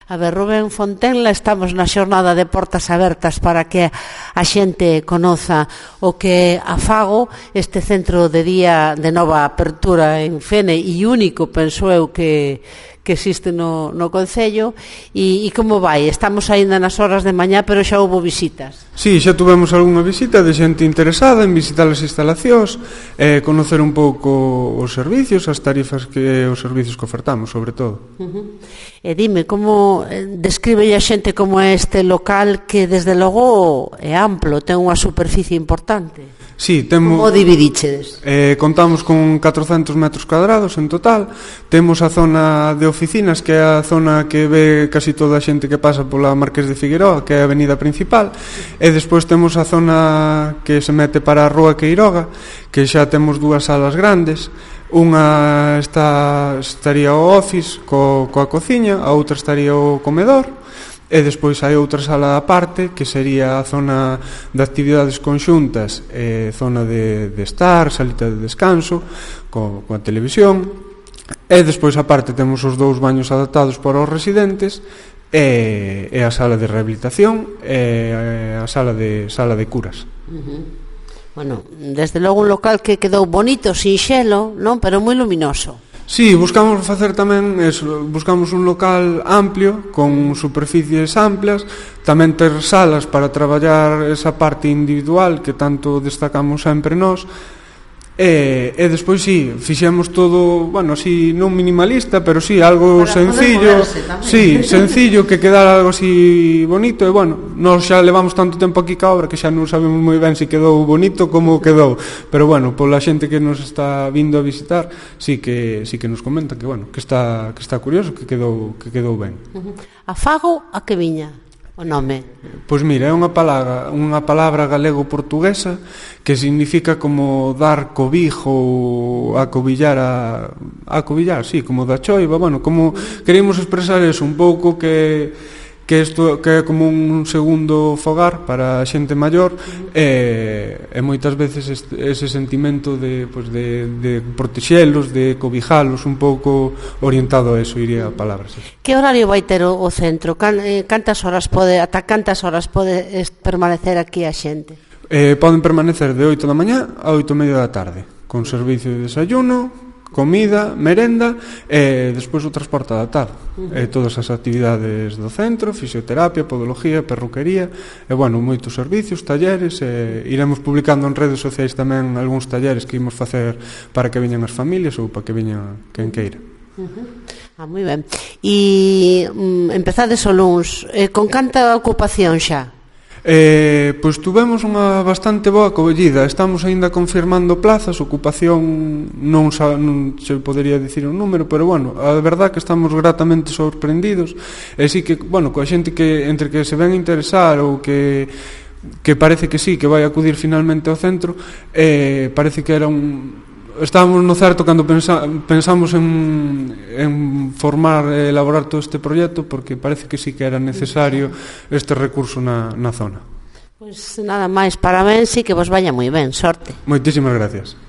A ver, Rubén Fontenla, estamos na xornada de portas abertas para que a xente conoza o que é a Fago, este centro de día de nova apertura en Fene e único, penso eu, que existe no Concello, e como vai? Estamos aínda nas horas de mañá, pero xa houve visitas. Sí, xa tuvemos algunha visita de xente interesada en visitar as instalacións, conocer un pouco os servicios, as tarifas os servicios que ofertamos, sobre todo. E dime, como describe a xente como é este local que desde logo é amplo, ten unha superficie importante? Sí, temos... Como dividichedes? Contamos con 400 metros cuadrados en total. Temos a zona de oficinas, que é a zona que ve casi toda a xente que pasa pola Marqués de Figueroa, que é a avenida principal, e despois temos a zona que se mete para a Rúa Queiroga, que xa temos dúas salas grandes. Unha estaría o office coa cociña, a outra estaría o comedor, e despois hai outra sala aparte que sería a zona de actividades conxuntas, zona de estar, salita de descanso coa televisión, e despois aparte temos os dous baños adaptados para os residentes e a sala de rehabilitación e a sala de curas. Bueno, desde logo un local que quedou bonito, sinxelo, non? Pero moi luminoso. Sí, buscamos facer tamén eso, buscamos un local amplio, con superficies amplas, tamén ter salas para traballar esa parte individual que tanto destacamos sempre nós, e despois sí, fixemos todo, bueno, así non minimalista, pero sí, algo sencillo, sí, sencillo, que quedara algo así bonito, e bueno, nós xa levamos tanto tempo aquí ca obra que xa non sabemos moi ben se quedou bonito como quedou, pero bueno, pola xente que nos está vindo a visitar, sí que nos comenta que bueno, que está curioso, que quedou ben. A Fago a que viña? O nome? Pois mira, é unha palabra galego-portuguesa que significa como dar cobijo, acobillar, sí, como da choiva, bueno, como queremos expresar eso, un pouco que isto que é como un segundo fogar para a xente maior, e moitas veces ese sentimento de protexelos, de cobijalos, un pouco orientado a eso, iría a palabra. Sí. Que horario vai ter o centro? Ata cantas horas pode permanecer aquí a xente? Poden permanecer de 8 da mañá a 8:30 da tarde, con servicio de desayuno, comida, merenda e despois o transporte adaptado. Todas as actividades do centro, fisioterapia, podología, perruquería e, bueno, moitos servicios, talleres, iremos publicando en redes sociais tamén algúns talleres que imos facer para que veñan as familias ou para que veñan quen queira. Moi ben. E empezades o luns, con canta ocupación xa? Pois tuvemos unha bastante boa acollida. Estamos aínda confirmando plazas, ocupación non se podería dicir un número, pero bueno, a verdade que estamos gratamente sorprendidos. E sí que, bueno, coa xente que entre que se ven a interesar ou que parece que sí, que vai acudir finalmente ao centro, parece que era estábamos no certo cando pensamos en formar e elaborar todo este proxecto, porque parece que sí que era necesario este recurso na zona. Pois nada máis, parabéns e que vos vaya moi ben, sorte. Moitísimas gracias.